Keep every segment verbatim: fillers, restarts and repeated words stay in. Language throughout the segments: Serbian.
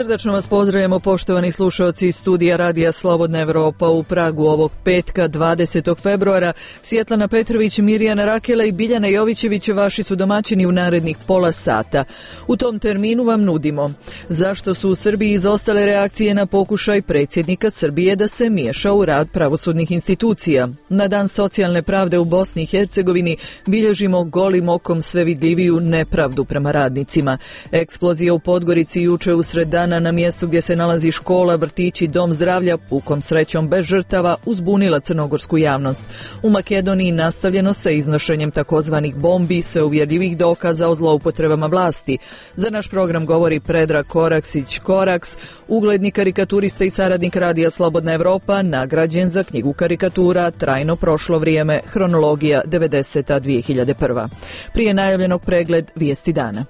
Srdačno vas pozdravljamo, poštovani slušalci iz studija Radija Slobodna Evropa u Pragu ovog petka dvadesetog februara. Svjetlana Petrović, Mirjana Rakela i Biljana Jovićević vaši su domaćini u narednih pola sata. U tom terminu vam nudimo zašto su u Srbiji izostale reakcije na pokušaj predsjednika Srbije da se miješa u rad pravosudnih institucija. Na dan socijalne pravde u Bosni i Hercegovini bilježimo golim okom sve vidljiviju nepravdu prema radnicima. Eksplozija u Podgorici juče usred dana na mjestu gdje se nalazi škola, vrtić i dom zdravlja, pukom srećom bez žrtava, uzbunila crnogorsku javnost. U Makedoniji nastavljeno sa iznošenjem takozvanih bombi, sve uvjerljivih dokaza o zloupotrebama vlasti. Za naš program govori Predrag Koraksić Koraks, ugledni karikaturista i saradnik Radija Slobodna Evropa, nagrađen za knjigu karikatura Trajno prošlo vrijeme, hronologija devedeseta do dvije hiljade prve. Prije najavljenog pregled vijesti dana.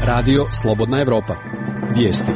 Radio Slobodna Evropa. Vijesti.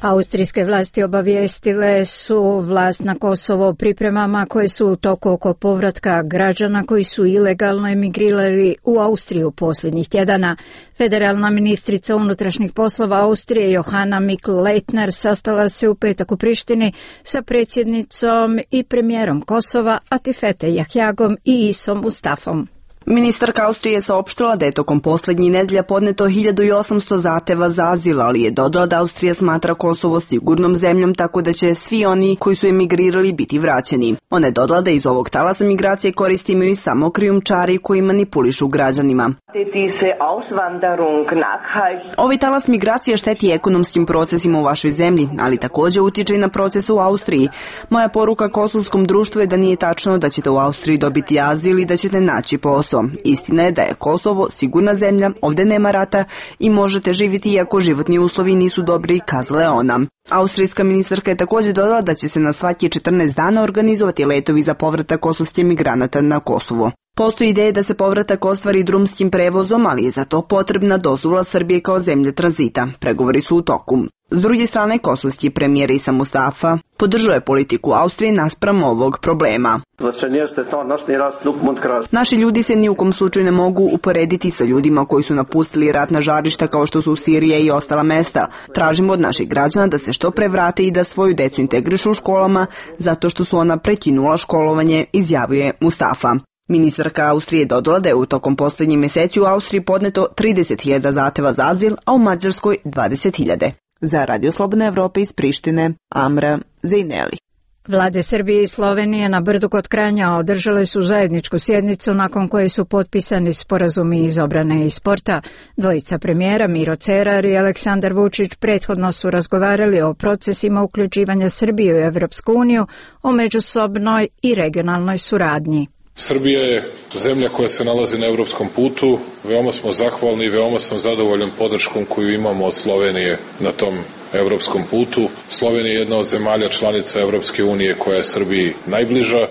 Austrijske vlasti obavijestile su vlast na Kosovo o pripremama koje su u toku oko povratka građana koji su ilegalno emigrirali u Austriju posljednjih tjedana. Federalna ministrica unutrašnjih poslova Austrije Johanna Mikl-Leitner sastala se u petak u Prištini sa predsjednicom i premijerom Kosova Atifete Jahjagom i Isom Mustafom. Ministarka Austrije je saopštila da je tokom posljednjih nedelja podneto hiljadu osamsto zahtjeva za azil, ali je dodala da Austrija smatra Kosovo sigurnom zemljom, tako da će svi oni koji su emigrirali biti vraćeni. Ona je dodala da iz ovog talasa migracije koristi imaju samo krijumčari koji manipulišu građanima. Ovaj talas migracije šteti ekonomskim procesima u vašoj zemlji, ali također utiče i na proces u Austriji. Moja poruka kosovskom društvu je da nije tačno da ćete u Austriji dobiti azil i da ćete naći posao. Istina je da je Kosovo sigurna zemlja, ovdje nema rata i možete živjeti iako životni uslovi nisu dobri, kazala je ona. Austrijska ministarka je također dodala da će se na svaki četrnaest dana organizovati letovi za povratak kosovskih migranata na Kosovo. Postoji ideja da se povratak ostvari drumskim prevozom, ali je za to potrebna dozvola Srbije kao zemlje tranzita. Pregovori su u toku. S druge strane, kosovski premijer Isa Mustafa podržao je politiku Austrije naspram ovog problema. Naši ljudi se ni u kom slučaju ne mogu uporediti sa ljudima koji su napustili ratna žarišta kao što su Sirija i ostala mesta. Tražimo od naših građana da se što pre vrate i da svoju decu integrišu u školama zato što su ona prekinula školovanje, izjavio je Mustafa. Ministarka Austrije dodala da je u tokom posljednjih mjeseci u Austriji podneto trideset hiljada zahtjeva za azil, a u Mađarskoj dvadeset hiljada. Za Radio Slobodna Evropa iz Prištine, Amra Zejneli. Vlade Srbije i Slovenije na Brdu kod Kranja održale su zajedničku sjednicu nakon koje su potpisani sporazumi iz obrane i sporta. Dvojica premijera Miro Cerar i Aleksandar Vučić prethodno su razgovarali o procesima uključivanja Srbije u Evropsku uniju, o međusobnoj i regionalnoj suradnji. Srbija je zemlja koja se nalazi na europskom putu, veoma smo zahvalni i veoma sam zadovoljan podrškom koju imamo od Slovenije na tom europskom putu. Slovenija je jedna od zemalja članica Evropske unije koja je Srbiji najbliža.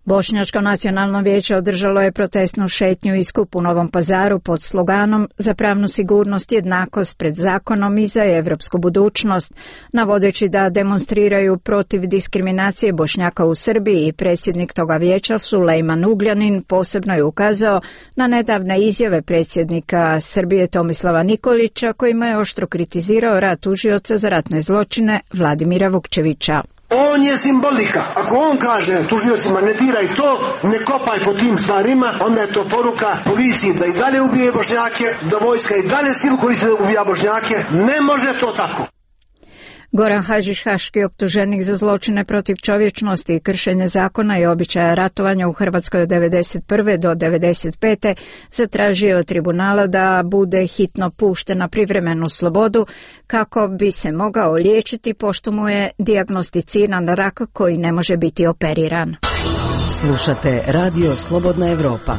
Bošnjačko nacionalno vijeće održalo je protestnu šetnju i skup u Novom Pazaru pod sloganom za pravnu sigurnost, jednakost pred zakonom i za evropsku budućnost, navodeći da demonstriraju protiv diskriminacije Bošnjaka u Srbiji. I predsjednik toga vijeća Sulejman Ugljanin posebno je ukazao na nedavne izjave predsjednika Srbije Tomislava Nikolića, kojima je oštro kritizirao rad tužioca za ratne zločine Vladimira Vukčevića. On je simbolika. Ako on kaže tužiocima ne diraj to, ne kopaj po tim stvarima, onda je to poruka policiji da i dalje ubije Bošnjake, da vojska i dalje silu koristi da ubija Bošnjake. Ne može to tako. Goran Hadžić, haški optuženik za zločine protiv čovječnosti i kršenje zakona i običaja ratovanja u Hrvatskoj od devedeset prve do devedeset pete zatražio od tribunala da bude hitno pušten na privremenu slobodu kako bi se mogao liječiti, pošto mu je dijagnosticiran rak koji ne može biti operiran. Slušate Radio Slobodna Evropa.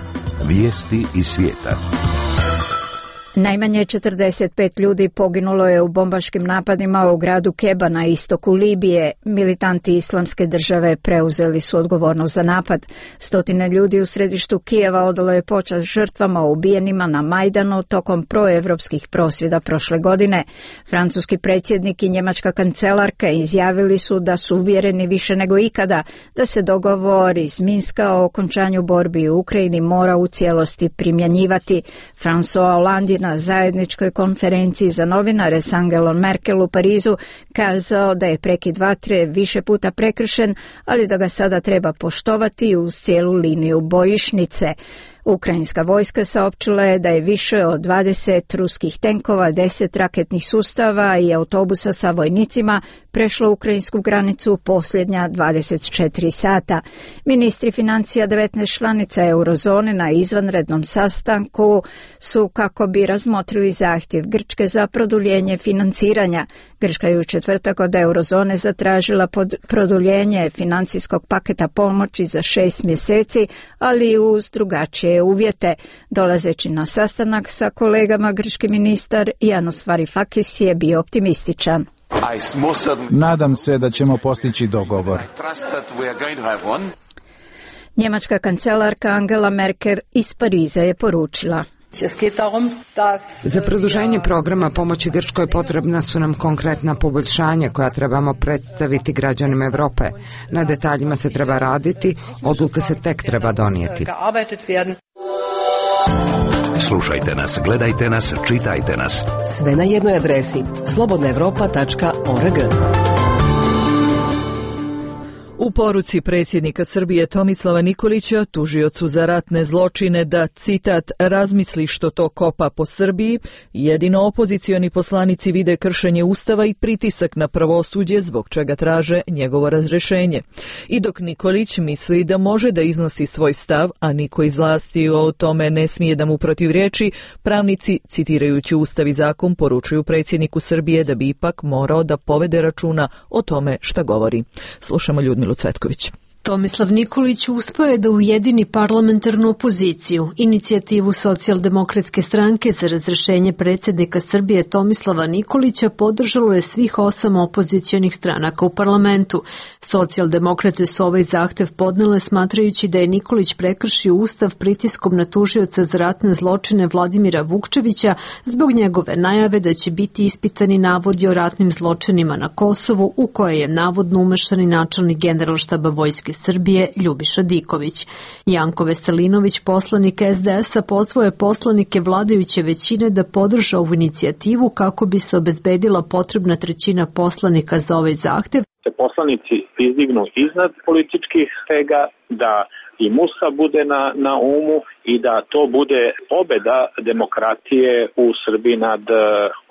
Vijesti iz svijeta. Najmanje četrdeset pet ljudi poginulo je u bombaškim napadima u gradu Keba na istoku Libije. Militanti Islamske države preuzeli su odgovornost za napad. Stotine ljudi u središtu Kijeva odalo je počast žrtvama ubijenima na Majdanu tokom proevropskih prosvjeda prošle godine. Francuski predsjednik i njemačka kancelarka izjavili su da su uvjereni više nego ikada da se dogovor iz Minska o okončanju borbi u Ukrajini mora u cijelosti primjenjivati. François Hollande na zajedničkoj konferenciji za novinare s Angelom Merkel u Parizu kazao da je prekid vatre više puta prekršen, ali da ga sada treba poštovati uz cijelu liniju bojišnice. Ukrajinska vojska saopćila je da je više od dvadeset ruskih tenkova, deset raketnih sustava i autobusa sa vojnicima prešlo ukrajinsku granicu u posljednja dvadeset četiri sata. Ministri financija devetnaest članica eurozone na izvanrednom sastanku su kako bi razmotrili zahtjev Grčke za produljenje financiranja. Grčka je u četvrtak od eurozone zatražila pod produljenje financijskog paketa pomoći za šest mjeseci, ali uz drugačije uvjete. Dolazeći na sastanak sa kolegama, grčki ministar Yanis Varoufakis je bio optimističan. Nadam se da ćemo postići dogovor. Njemačka kancelarka Angela Merkel iz Pariza je poručila: Za produženje programa pomoći Grčkoj potrebna su nam konkretna poboljšanja koja trebamo predstaviti građanima Europe. Na detaljima se treba raditi, odluka se tek treba donijeti. Slušajte nas, gledajte nas, čitajte nas. Sve na jednoj adresi slobodna europa tačka org. U poruci predsjednika Srbije Tomislava Nikolića, tužiocu za ratne zločine, da, citat, razmisli što to kopa po Srbiji, jedino opozicioni poslanici vide kršenje Ustava i pritisak na pravosuđe, zbog čega traže njegovo razrešenje. I dok Nikolić misli da može da iznosi svoj stav, a niko iz vlasti o tome ne smije da mu protivriječi, pravnici, citirajući Ustav i zakon, poručuju predsjedniku Srbije da bi ipak morao da povede računa o tome šta govori. Slušamo Ljudmilu Cvetković. Tomislav Nikolić uspeo je da ujedini parlamentarnu opoziciju, inicijativu Socijaldemokratske stranke za razrešenje predsjednika Srbije Tomislava Nikolića podržalo je svih osam opozicionih stranaka u parlamentu. Socijaldemokrate su ovaj zahtev podnele smatrajući da je Nikolić prekršio Ustav pritiskom na tužioca za ratne zločine Vladimira Vukčevića zbog njegove najave da će biti ispitani navodi o ratnim zločinima na Kosovu u koje je navodno umešan i načelnik Generalštaba vojske Srbije Ljubiša Diković. Janko Veselinović, poslanik es de es-a, pozvao je poslanike vladajuće većine da podrže ovu inicijativu kako bi se obezbedila potrebna trećina poslanika za ovaj zahtev. Se poslanici izdignu iznad političkih stega, da i Musa bude na, na umu i da to bude pobeda demokratije u Srbiji nad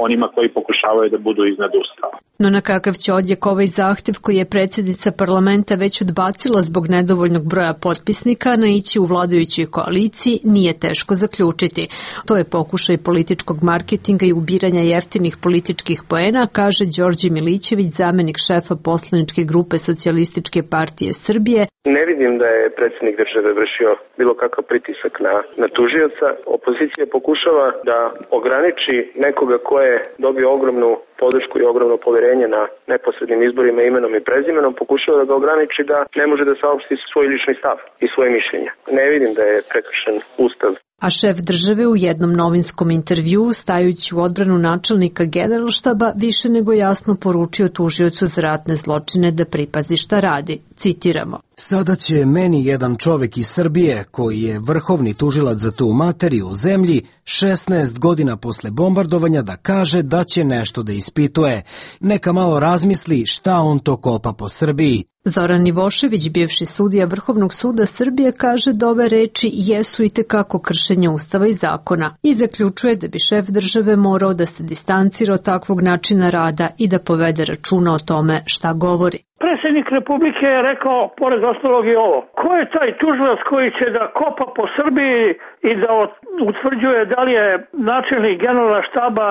onima koji pokušavaju da budu iznad Ustava. No na kakav će odjek ovaj zahtev, koji je predsjednica parlamenta već odbacila zbog nedovoljnog broja potpisnika, naići u vladajućoj koaliciji, nije teško zaključiti. To je pokušaj političkog marketinga i ubiranja jeftinih političkih poena, kaže Đorđe Milićević, zamenik šefa poslaničke grupe Socijalističke partije Srbije. Ne vidim da je predsjednik države vršio bilo kakav pritisak na, na tužioca. Opozicija pokušava da ograniči nekoga ko je dobio ogromnu podršku i ogromno poverenje na neposrednim izborima imenom i prezimenom, pokušava da ga ograniči da ne može da saopšti svoj lični stav i svoje mišljenja. Ne vidim da je prekršen Ustav. A šef države u jednom novinskom intervjuu, stajući u odbranu načelnika Generalštaba, više nego jasno poručio tužiocu za ratne zločine da pripazi šta radi. Citiramo: Sada će meni jedan čovek iz Srbije, koji je vrhovni tužilac za tu materiju u zemlji, šesnaest godina posle bombardovanja da kaže da će nešto da ispituje. Neka malo razmisli šta on to kopa po Srbiji. Zoran Ivošević, bivši sudija Vrhovnog suda Srbije, kaže da ove reči jesu i tekako kršenje Ustava i zakona i zaključuje da bi šef države morao da se distancira od takvog načina rada i da povede računa o tome šta govori. Predsjednik Republike je rekao, pored ostalog i ovo: ko je taj tužilac koji će da kopa po Srbiji i da utvrđuje da li je načelnik generalna štaba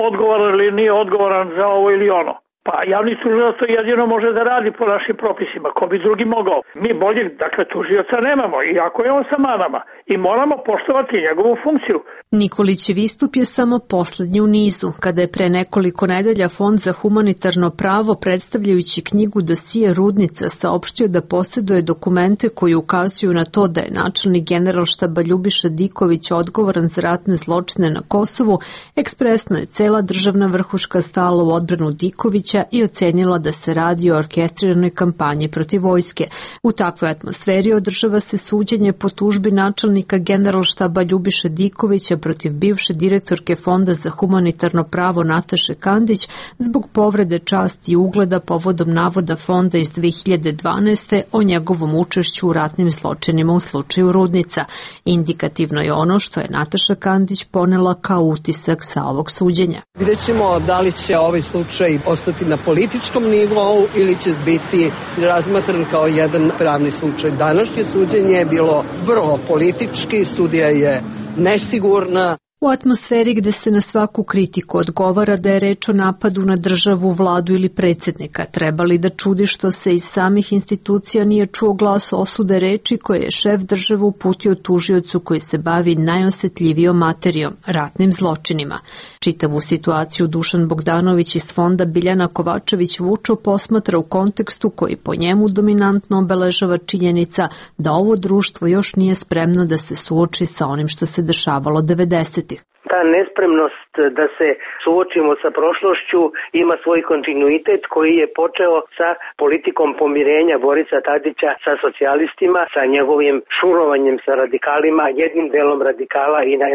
odgovoran ili nije odgovoran za ovo ili ono? Pa javni tužilac to jedino može da radi po našim propisima. Ko bi drugi mogao? Mi boljeg, dakle, tužioca nemamo, iako je on sa manama, i moramo poštovati njegovu funkciju. Nikolićev istup je samo poslednji u nizu, kada je pre nekoliko nedelja Fond za humanitarno pravo, predstavljajući knjigu dosije Rudnica, saopštio da posjeduje dokumente koji ukazuju na to da je načelnik Generalštaba Ljubiša Diković odgovoran za ratne zločine na Kosovu. Ekspresno je cela državna vrhuška stala u odbranu Dikovića Tadića i ocenila da se radi o orkestriranoj kampanji protiv vojske. U takvoj atmosferi održava se suđenje po tužbi načelnika Generalštaba Ljubiše Dikovića protiv bivše direktorke Fonda za humanitarno pravo Nataše Kandić zbog povrede časti i ugleda povodom navoda fonda iz dve hiljade dvanaeste. o njegovom učešću u ratnim zločinima u slučaju Rudnica. Indikativno je ono što je Nataša Kandić ponela kao utisak sa ovog suđenja. Vidjet ćemo da li će ovaj slučaj ostati na političkom nivou ili će biti razmatran kao jedan pravni slučaj. Današnje suđenje je bilo vrlo politički, sudija je nesigurna. U atmosferi gde se na svaku kritiku odgovara da je reč o napadu na državu, vladu ili predsjednika, treba li da čudi što se iz samih institucija nije čuo glas osude reči koje je šef države uputio tužiocu koji se bavi najosetljivijom materijom, ratnim zločinima. Čitavu situaciju Dušan Bogdanović iz fonda Biljana Kovačević-Vučo posmatra u kontekstu koji po njemu dominantno obeležava činjenica da ovo društvo još nije spremno da se suoči sa onim što se dešavalo devedesetih. Ta nespremnost da se suočimo sa prošlošću ima svoj kontinuitet koji je počeo sa politikom pomirenja Borisa Tadića sa socijalistima, sa njegovim šurovanjem sa radikalima, jednim delom radikala i, na,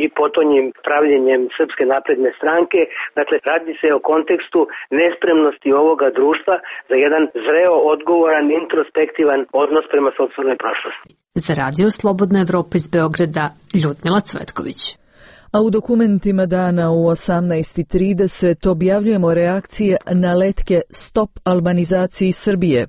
i potonjim pravljenjem Srpske napredne stranke. Dakle, radi se o kontekstu nespremnosti ovoga društva za jedan zreo, odgovoran, introspektivan odnos prema sopstvenoj prošlosti. Za Radio Slobodna Evropa iz Beograda, Ljudmila Cvetković. A u dokumentima dana u osamnaest i trideset objavljujemo reakcije na letke Stop albanizaciji Srbije,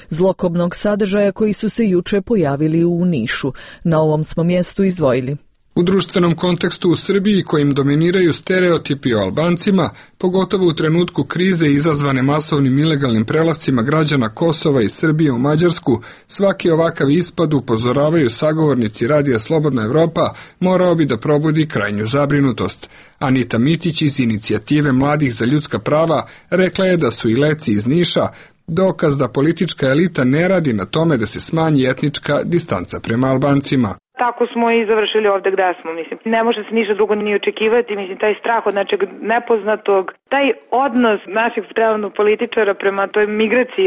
zlokobnog sadržaja koji su se juče pojavili u Nišu. Na ovom smo mjestu izdvojili. U društvenom kontekstu u Srbiji kojim dominiraju stereotipi o Albancima, pogotovo u trenutku krize izazvane masovnim ilegalnim prelascima građana Kosova i Srbije u Mađarsku, svaki ovakav ispad, upozoravaju sagovornici Radija Slobodna Evropa, morao bi da probudi krajnju zabrinutost. Anita Mitić iz inicijative Mladih za ljudska prava rekla je da su i leci iz Niša dokaz da politička elita ne radi na tome da se smanji etnička distanca prema Albancima. Tako smo i završili ovde gde smo, mislim. Ne može se ništa drugo ni očekivati, mislim, taj strah od nečeg nepoznatog, taj odnos naših trenutnog političara prema toj migraciji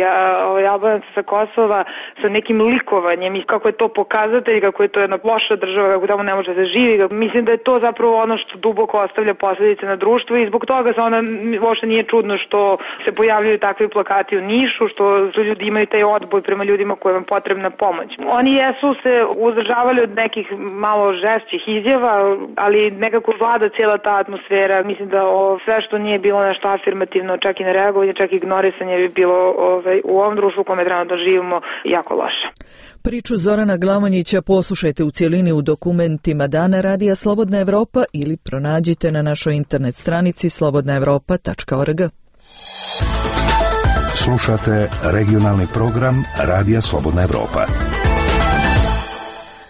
ovaj, Albanaca sa Kosova sa nekim likovanjem i kako je to pokazatelj, kako je to jedna loša država, kako tamo ne može da se živi. Mislim da je to zapravo ono što duboko ostavlja posljedice na društvo i zbog toga se onda uopšte nije čudno što se pojavljaju takvi plakati u Nišu, što ljudi imaju taj odboj prema ljudima kojima je potrebna pomoć. Oni jesu se uzdržavali od nekih malo žešćih izjava, ali nekako vlada cijela ta atmosfera. Mislim da o, sve što nije bilo nešto afirmativno, čak i nereagovanje, čak i ignorisanje bi bilo ovaj, u ovom društvu u kome trenutno živimo jako loše. Priču Zorana Glavonjića poslušajte u cijelini u dokumentima Dana Radija Slobodna Evropa ili pronađite na našoj internet stranici slobodna evropa tačka org. Slušate regionalni program Radija Slobodna Evropa.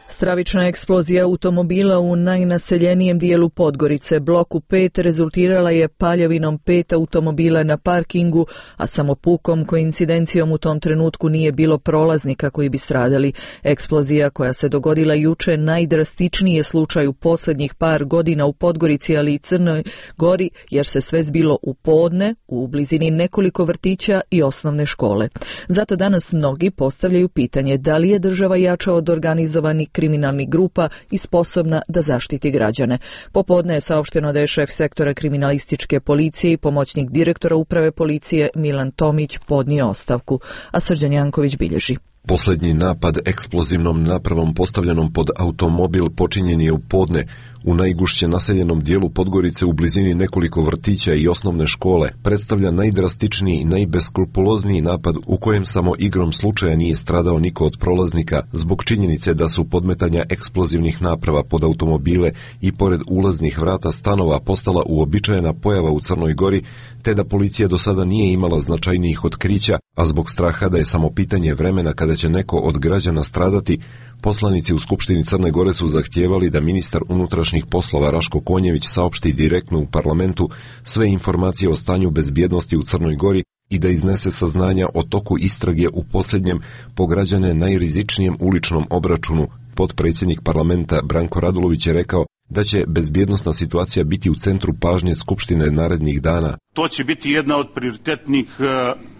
Stravična eksplozija automobila u najnaseljenijem dijelu Podgorice, bloku pet, rezultirala je paljavinom pet automobila na parkingu, a samo pukom koincidencijom u tom trenutku nije bilo prolaznika koji bi stradali. Eksplozija koja se dogodila juče najdrastičniji je slučaj u posljednjih par godina u Podgorici, ali i Crnoj Gori, jer se sve zbilo u podne, u blizini nekoliko vrtića i osnovne škole. Zato danas mnogi postavljaju pitanje da li je država jača od organizovanih kriminalnih grupa i sposobna da zaštiti građane. Popodne je saopšteno da je šef sektora kriminalističke policije i pomoćnik direktora uprave policije Milan Tomić podnio ostavku, a Srđan Janković bilježi. Posljednji napad eksplozivnom napravom postavljenom pod automobil počinjen je u podne u najgušće naseljenom dijelu Podgorice u blizini nekoliko vrtića i osnovne škole. Predstavlja najdrastičniji i najbeskrupulozniji napad u kojem samo igrom slučaja nije stradao niko od prolaznika zbog činjenice da su podmetanja eksplozivnih naprava pod automobile i pored ulaznih vrata stanova postala uobičajena pojava u Crnoj Gori, te da policija do sada nije imala značajnijih otkrića, a zbog straha da je samo pitanje vremena kada će neko od građana stradati, poslanici u Skupštini Crne Gore su zahtijevali da ministar unutrašnjih poslova Raško Konjević saopšti direktno u parlamentu sve informacije o stanju bezbjednosti u Crnoj Gori i da iznese saznanja o toku istrage u posljednjem po građane najrizičnijem uličnom obračunu. Potpredsjednik parlamenta Branko Radulović je rekao da će bezbjednosna situacija biti u centru pažnje Skupštine narednih dana. To će biti jedna od prioritetnih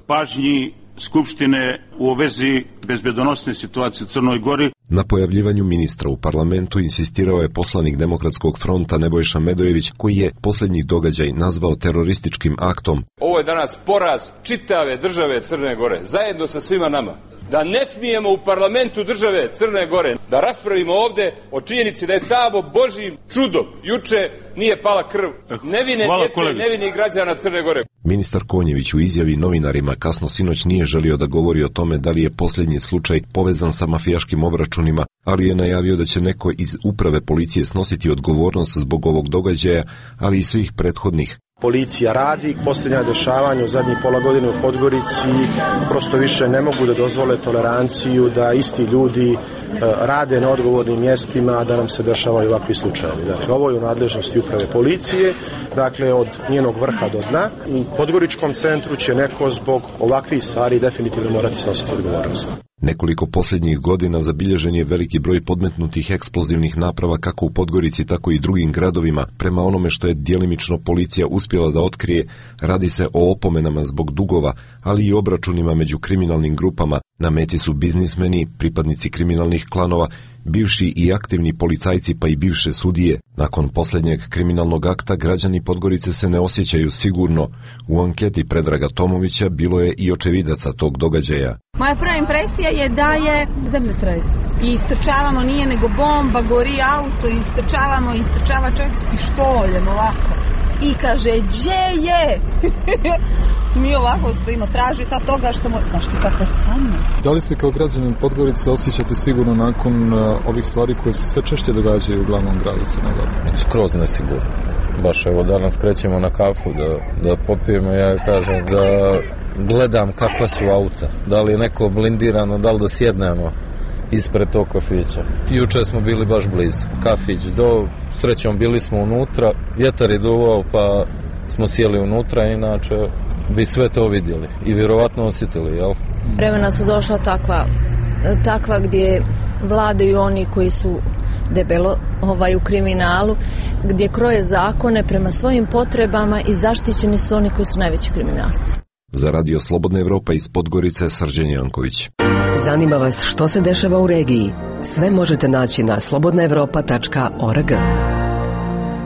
pažnji Skupštine u vezi bezbjednosne situacije u Crnoj Gori. Na pojavljivanju ministra u parlamentu insistirao je poslanik Demokratskog fronta Nebojša Medojević, koji je posljednji događaj nazvao terorističkim aktom. Ovo je danas poraz čitave države Crne Gore, zajedno sa svima nama. Da ne smijemo u parlamentu države Crne Gore da raspravimo ovde o činjenici da je samo Božjim čudom juče nije pala krv nevine djece, nevinih građana Crne Gore. Ministar Konjević u izjavi novinarima kasno sinoć nije želio da govori o tome da li je posljednji slučaj povezan sa mafijaškim obračunima, ali je najavio da će neko iz uprave policije snositi odgovornost zbog ovog događaja, ali i svih prethodnih. Policija radi, posljednja dešavanja u zadnjih pola godine u Podgorici prosto više ne mogu da dozvole toleranciju da isti ljudi e, rade na odgovornim mjestima, da nam se dešavaju ovakvi slučajevi. Dakle, ovo je u nadležnosti uprave policije, dakle od njenog vrha do dna. U Podgoričkom centru će neko zbog ovakvih stvari definitivno morati snositi odgovornost. Nekoliko posljednjih godina zabilježen je veliki broj podmetnutih eksplozivnih naprava kako u Podgorici, tako i drugim gradovima. Prema onome što je djelimično policija uspjela da otkrije, radi se o opomenama zbog dugova, ali i obračunima među kriminalnim grupama. Na meti su biznismeni, pripadnici kriminalnih klanova, bivši i aktivni policajci pa i bivše sudije. Nakon posljednjeg kriminalnog akta građani Podgorice se ne osjećaju sigurno. U anketi Predraga Tomovića bilo je i očevidaca tog događaja. Moja prva impresija je da je zemljotres. I istrčavamo, nije nego bomba, gori auto, istrčavamo, istrčava čovjek s pištoljem ovako. I kaže, gdje je? Mi ovako stojimo, traži sad toga što mu... Znaš ti kakva scena? Da li se kao građanin Podgorice osjećate sigurno nakon uh, ovih stvari koje se sve češće događaju u glavnom gradu Crne Gore? Skroz nesigurno. Baš evo danas krećemo na kafu da, da popijemo, ja kažem da gledam kakva su auta. Da li je neko blindirano, da li da sjednemo ispred tog kafića. Juče smo bili baš blizu. Kafić do, srećom bili smo unutra, vjetar je duvao pa smo sjeli unutra, inače bi sve to vidjeli i vjerovatno osjetili, jel? Vremena su došla takva, takva gdje vladaju oni koji su debelo ovaj, u kriminalu, gdje kroje zakone prema svojim potrebama i zaštićeni su oni koji su najveći kriminalci. Za Radio Slobodna Evropa iz Podgorice, Srđan Janković. Zanima vas što se dešava u regiji? Sve možete naći na slobodna evropa tačka org.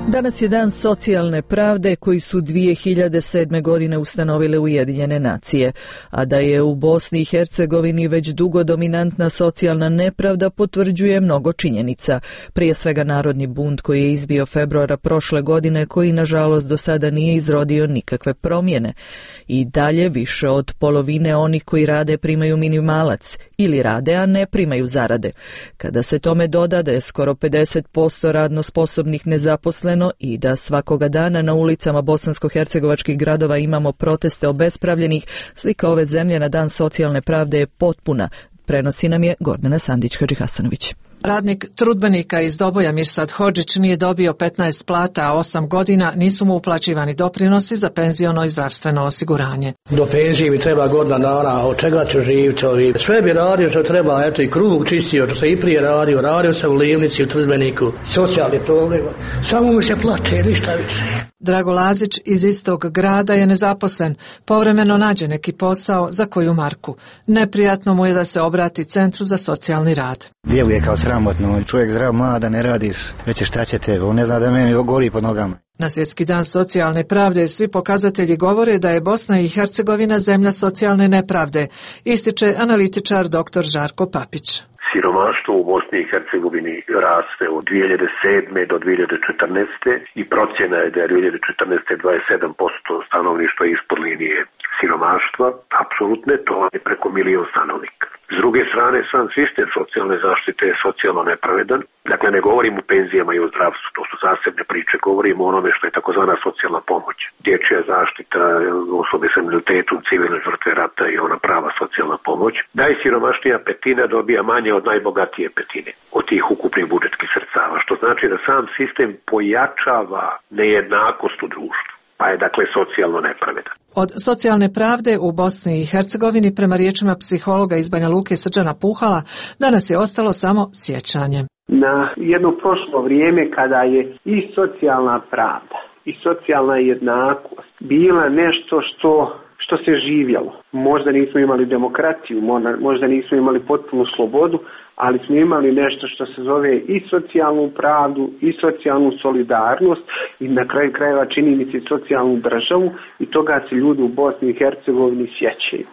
Danas je dan socijalne pravde koji su dvije hiljade sedme. godine ustanovile Ujedinjene nacije, a da je u Bosni i Hercegovini već dugo dominantna socijalna nepravda potvrđuje mnogo činjenica. Prije svega narodni bunt koji je izbio februara prošle godine, koji nažalost do sada nije izrodio nikakve promjene. I dalje više od polovine onih koji rade primaju minimalac ili rade, a ne primaju zarade. Kada se tome doda da je skoro pedeset posto radno sposobnih nezaposleno i da svakoga dana na ulicama bosansko-hercegovačkih gradova imamo proteste obespravljenih, slika ove zemlje na dan socijalne pravde je potpuna. Prenosi nam je Gordana Sandić-Hadžihasanović. Radnik trudbenika iz Doboja Mirsad Hodžić nije dobio petnaest plata, a osam godina nisu mu uplaćivani doprinosi za penziono i zdravstveno osiguranje. Do penzije mi treba godina dana, od čega ću živjeti ovi. Sve bi radio što treba, eto i kruh čistio, što se i prije radio, radio se u Livnici, u trudbeniku, socijalni problem, samo mi se plate, ništa više. Drago Lazić iz istog grada je nezaposlen, povremeno nađe neki posao za koju marku. Neprijatno mu je da se obrati Centru za socijalni rad. Djeluje kao sramotno, čovjek zdrav, mlada, ne radiš, reće šta će te, on ne zna da meni gori pod nogama. Na Svjetski dan socijalne pravde svi pokazatelji govore da je Bosna i Hercegovina zemlja socijalne nepravde, ističe analitičar doktor Žarko Papić. Siromaštvo u Bosni i Hercegovini raste od dvije hiljade sedme. do dvije hiljade četrnaeste. i procjena je da je dvije hiljade četrnaeste. dvadeset sedam posto stanovništva ispod linije siromaštva, apsolutne, to je preko milion stanovnika. S druge strane, sam sistem socijalne zaštite je socijalno nepravedan. Dakle, ne govorim o penzijama i o zdravstvu, to su zasebne priče, govorim o onome što je takozvana socijalna pomoć. Dječja zaštita, osobe sa invaliditetom, civilne žrtve rata i ona prava socijalna pomoć. Najsiromašnija petina dobija manje od najbogatije petine, od tih ukupnih budžetskih sredstava, što znači da sam sistem pojačava nejednakost u društvu, pa je dakle socijalno nepravedan. Od socijalne pravde u Bosni i Hercegovini, prema riječima psihologa iz Banja Luke Srđana Puhala, danas je ostalo samo sjećanje. Na jedno prošlo vrijeme kada je i socijalna pravda i socijalna jednakost bila nešto što što se živjelo. Možda nismo imali demokraciju, možda nismo imali potpunu slobodu, ali smo imali nešto što se zove i socijalnu pravdu i socijalnu solidarnost i na kraju krajeva čini mi se socijalnu državu i toga se ljudi u Bosni i Hercegovini sjećaju.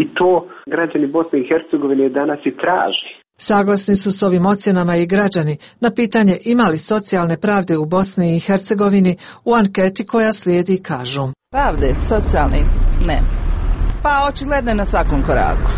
I to građani Bosne i Hercegovine danas i traži. Saglasni su s ovim ocjenama i građani na pitanje ima li socijalne pravde u Bosni i Hercegovini u anketi koja slijedi kažu. Pravde, socijalne, ne. Pa očigledno je na svakom koraku.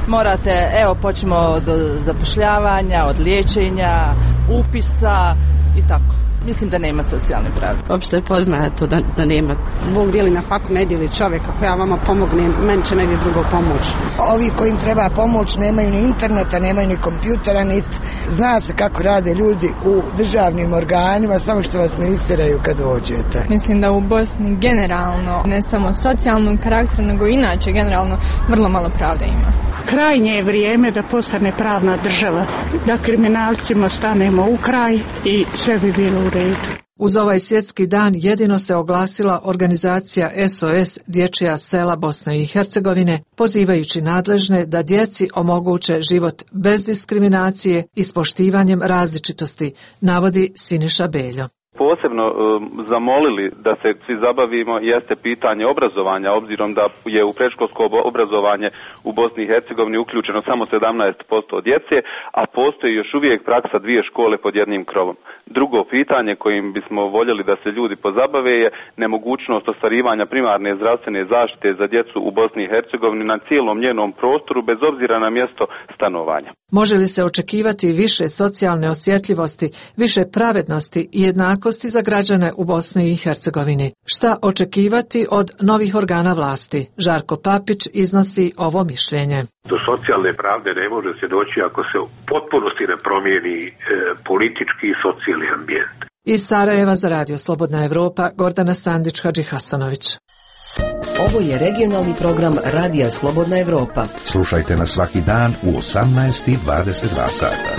Morate, evo počnemo od zapošljavanja, od liječenja, upisa i tako. Mislim da nema socijalne pravde. Uopšte je poznato da, da nema. Bog dijeli na faku, ne dijeli čovjek. Ako ja vama pomognem, meni će negdje drugo pomoć. Ovi kojim treba pomoć nemaju ni interneta, nemaju ni kompjutera, niti zna se kako rade ljudi u državnim organima, samo što vas ne istiraju kad dođete. Mislim da u Bosni generalno, ne samo socijalnog karaktera, nego inače generalno vrlo malo pravde ima. Krajnje je vrijeme da postane pravna država, da kriminalcima stanemo u kraj i sve bi bilo u redu. Uz ovaj svjetski dan jedino se oglasila organizacija S O S Dječja sela Bosne i Hercegovine, pozivajući nadležne da djeci omoguće život bez diskriminacije i s poštivanjem različitosti, navodi Siniša Beljo. Posebno um, zamolili da se svi zabavimo jeste pitanje obrazovanja, obzirom da je u predškolsko obrazovanje u Bosni i Hercegovini uključeno samo sedamnaest posto djece, a postoji još uvijek praksa dvije škole pod jednim krovom. Drugo pitanje kojim bismo voljeli da se ljudi pozabave je nemogućnost ostvarivanja primarne zdravstvene zaštite za djecu u Bosni i Hercegovini na cijelom njenom prostoru bez obzira na mjesto stanovanja. Može li se očekivati više socijalne osjetljivosti, više pravednosti i jednakosti za građane u Bosni i Hercegovini? Šta očekivati od novih organa vlasti? Žarko Papić iznosi ovo mišljenje. Do socijalne pravde ne može se doći ako se u potpunosti ne promijeni e, politički i socijalni ambijent. Iz Sarajeva za Radio Slobodna Evropa, Gordana Sandić-Hadži Hasanović. Ovo je regionalni program Radija Slobodna Evropa. Slušajte nas svaki dan u osamnaest i dvadeset dva sata.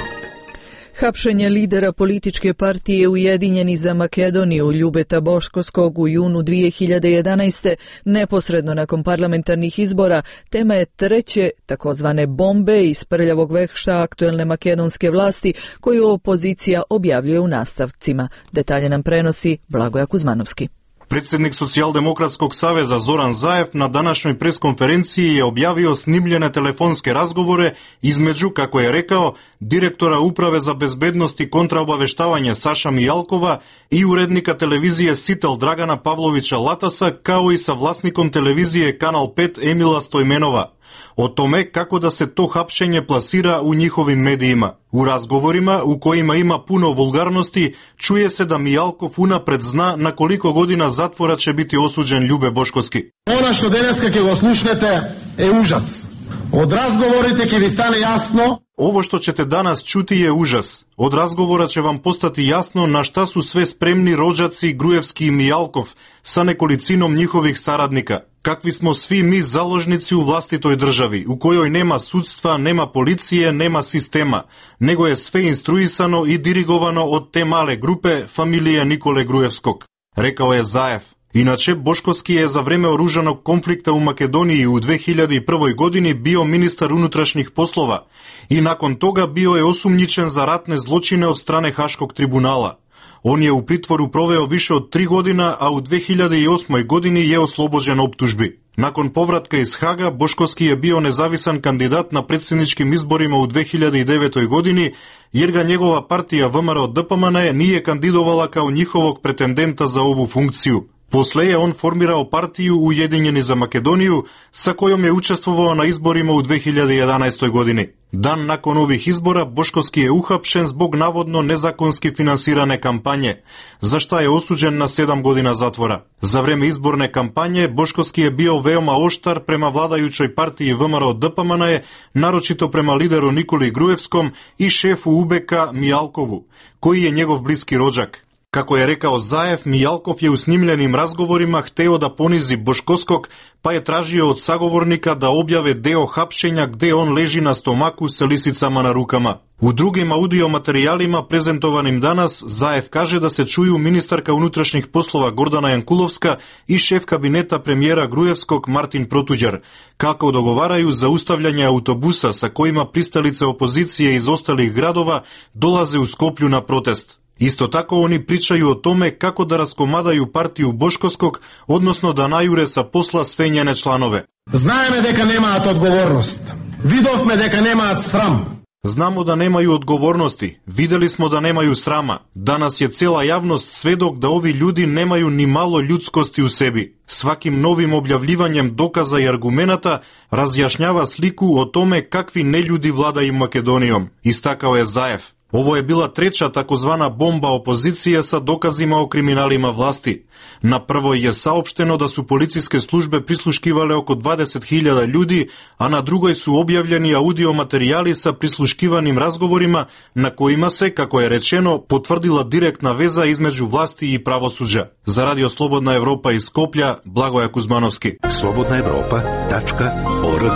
Hapšenje lidera političke partije Ujedinjeni za Makedoniju Ljubeta Boškovskog u junu dvije hiljade jedanaeste. neposredno nakon parlamentarnih izbora tema je treće takozvane bombe iz prljavog vekšta aktuelne makedonske vlasti koju opozicija objavljuje u nastavcima. Detalje nam prenosi Blagoja Kuzmanovski. Predsjednik Socijaldemokratskog saveza Zoran Zaev na današnjoj preskonferenciji je objavio snimljene telefonske razgovore između, kako je rekao, direktora Uprave za bezbednost i kontraobaveštavanje Saša Mijalkova i urednika televizije Sitel Dragana Pavlovića Latasa, kao i sa vlasnikom televizije Kanal pet Emila Stojmenova. O tome kako da se to hapšenje plasira u njihovim medijima. U razgovorima, u kojima ima puno vulgarnosti, čuje se da Mijalkov unapred zna na koliko godina zatvora će biti osuđen Ljube Boškovski. Ono što danas kako ga slušate je užas. Od razgovorite ki vi stane jasno. Ovo što ćete danas čuti je užas. Od razgovora će vam postati jasno na šta su sve spremni rođaci Grujevski i Mijalkov sa nekolicinom njihovih saradnika. Kakvi smo svi mi založnici u vlastitoj državi, u kojoj nema sudstva, nema policije, nema sistema, nego je sve instruisano i dirigovano od te male grupe familije Nikole Grujevskog, rekao je Zaev. Inače, Boškovski je za vreme oružanog konflikta u Makedoniji u dve hiljade prve. godini bio ministar unutrašnjih poslova i nakon toga bio je osumnjičen za ratne zločine od strane Haškog tribunala. On je u pritvoru proveo više od tri godina, a u dve hiljade osme. godini je oslobođen optužbi. Nakon povratka iz Haga, Boškovski je bio nezavisan kandidat na predsjedničkim izborima u dve hiljade devetoj. godini, jer ga njegova partija V M R O D P M N nije kandidovala kao njihovog pretendenta za ovu funkciju. Posle je on formirao partiju Ujedinjeni za Makedoniju, sa kojom je učestvovao na izborima u dve hiljade jedanaestoj. godini. Dan nakon ovih izbora Boškovski je uhapšen zbog navodno nezakonski finansirane kampanje, za šta je osuđen na sedam godina zatvora. Za vreme izborne kampanje Boškovski je bio veoma oštar prema vladajućoj partiji V M R O D P M N, naročito prema lideru Nikoli Grujevskom i šefu U B K Mijalkovu, koji je njegov bliski rođak. Kako je rekao Zaev, Mijalkov je u snimljenim razgovorima hteo da ponizi Boškoskog, pa je tražio od sagovornika da objave deo hapšenja gde on leži na stomaku sa lisicama na rukama. U drugim audio materijalima prezentovanim danas, Zaev kaže da se čuju ministarka unutrašnjih poslova Gordana Jankulovska i šef kabineta premijera Grujevskog Martin Protuđar, kako dogovaraju zaustavljanje autobusa sa kojima pristalice opozicije iz ostalih gradova dolaze u Skoplju na protest. Isto tako oni pričaju o tome kako da raskomadaju partiju Boškoskog, odnosno da najure sa posla sve njene članove. Знаеме дека немаат одговорност. Видовме дека немаат срам. Znamo da nemaju odgovornosti, videli smo da nemaju srama. Danas je cela javnost svedok da ovi ljudi nemaju ni malo ljudskosti u sebi. Svakim novim objavljivanjem dokaza i argumenata razjašnjava sliku o tome kakvi neljudi vladaju Makedonijom, istakao je Zaev. Ovo je bila treća takozvana bomba opozicije sa dokazima o kriminalima vlasti. Na prvoj je saopšteno da su policijske službe prisluškivale oko dvadeset hiljada ljudi, a na drugoj su objavljeni audio materijali sa prisluškivanim razgovorima na kojima se, kako je rečeno, potvrdila direktna veza između vlasti i pravosuđa. Za Radio Slobodna Evropa iz Skoplja, Blagoja Kuzmanovski. slobodna evropa tačka org.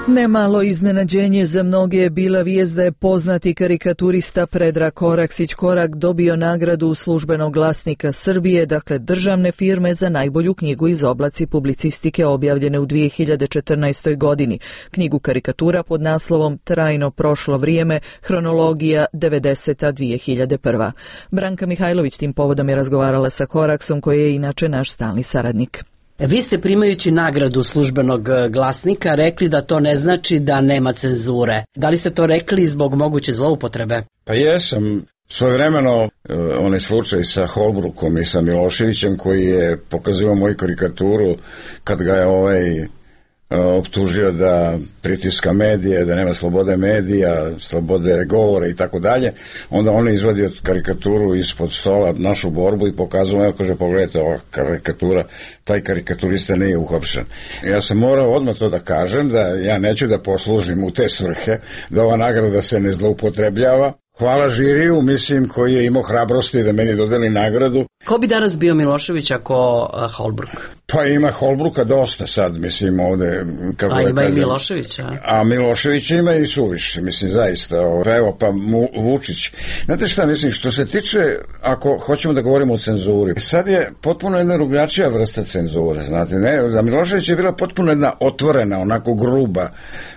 Nemalo iznenađenje za mnoge je bila vijest da je poznati karikaturista Predrag Koraksić Korak dobio nagradu službenog glasnika Srbije, dakle državne firme, za najbolju knjigu iz oblasti publicistike objavljene u dvije hiljade četrnaestoj. godini. Knjigu karikatura pod naslovom Trajno prošlo vrijeme, hronologija devedeseta do dvije hiljade prve. Branka Mihajlović tim povodom je razgovarala sa Koraksom, koji je inače naš stalni saradnik. Vi ste, primajući nagradu službenog glasnika, rekli da to ne znači da nema cenzure. Da li ste to rekli zbog moguće zloupotrebe? Pa jesam. Svojevremeno onaj slučaj sa Holbrookom i sa Miloševićem, koji je pokazivao moju karikaturu kad ga je ovaj optužio da pritiska medije, da nema slobode medija, slobode govora i tako dalje, onda on je izvadio karikaturu ispod stola, našu borbu, i pokazao, evo, kaže, pogledajte, ova karikatura, taj karikaturista nije uhapšen. Ja sam morao odmah to da kažem, da ja neću da poslužim u te svrhe, da ova nagrada se ne zloupotrebljava. Hvala žiriju, mislim, koji je imao hrabrosti da meni dodeli nagradu. Ko bi danas bio Milošević ako uh, Holbrook? Pa ima Holbrooka dosta sad, mislim, ovde, kako a da ima kažem. I Miloševića. A, a Milošević ima i suviše, mislim, zaista. Evo, pa Mu, Vučić. Znate šta, mislim, što se tiče, ako hoćemo da govorimo o cenzuri, sad je potpuno jedna drugačija vrsta cenzure, znate, ne? Za Milošević je bila potpuno jedna otvorena, onako gruba,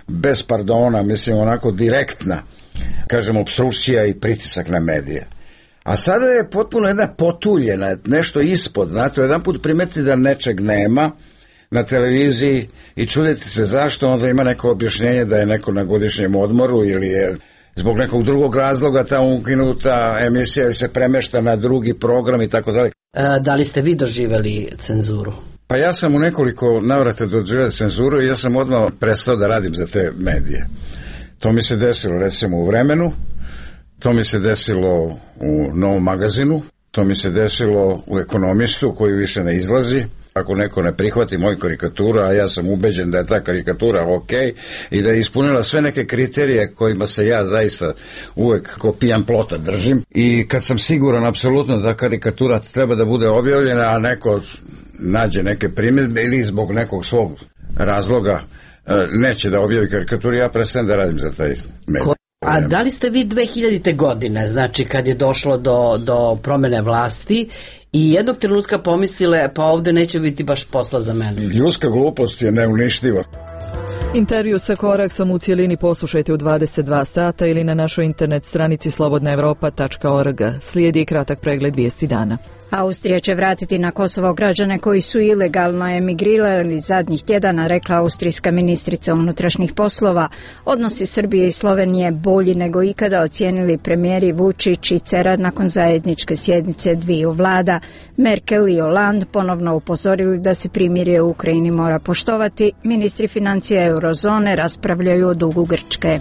bez pardona, mislim, onako direktna, kažem, obstrukcija i pritisak na medije. A sada je potpuno jedna potuljena, nešto ispod, znate, jedan put primeti da nečeg nema na televiziji i čudite se zašto, onda ima neko objašnjenje da je neko na godišnjem odmoru ili je zbog nekog drugog razloga ta ukinuta emisija ili se premešta na drugi program i tako dalje. Da li ste vi doživjeli cenzuru? Pa ja sam u nekoliko navrata doživjeli cenzuru i ja sam odmah prestao da radim za te medije. To mi se desilo recimo u Vremenu, to mi se desilo u Novom magazinu, to mi se desilo u Ekonomistu koji više ne izlazi. Ako neko ne prihvati moju karikaturu, a ja sam ubeđen da je ta karikatura ok i da je ispunila sve neke kriterije kojima se ja zaista uvek ko pijan plota držim, i kad sam siguran apsolutno da karikatura treba da bude objavljena, a neko nađe neke primjedbe ili zbog nekog svog razloga neće da objavi karikaturu, ja prestajem da radim za taj medij. A da li ste vi dve hiljadite. godine, znači kad je došlo do, do promene vlasti, i jednog trenutka pomislile, pa ovde neće biti baš posla za mene? Ljudska glupost je neuništiva. Intervju sa Koraksom u cijelini poslušajte u dvadeset dva sata ili na našoj internet stranici slobodna evropa tačka org. Slijedi kratak pregled vijesti dana. Austrija će vratiti na Kosovo građane koji su ilegalno emigrirali zadnjih tjedana, rekla austrijska ministrica unutrašnjih poslova. Odnosi Srbije i Slovenije bolji nego ikada, ocijenili premijeri Vučić i Cerar nakon zajedničke sjednice dviju vlada. Merkel i Hollande ponovno upozorili da se primirje u Ukrajini mora poštovati. Ministri financija eurozone raspravljaju o dugu Grčke.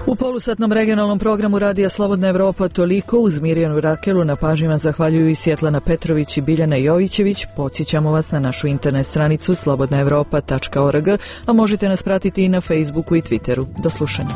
U polusatnom regionalnom programu Radija Slobodna Evropa toliko. Uz Mirjanu Rakelu na pažnjima zahvaljuju i Svjetlana Petrović i Biljana Jovićević. Podsjećamo vas na našu internet stranicu slobodna evropa tačka org, a možete nas pratiti i na Facebooku i Twitteru. Do slušanja.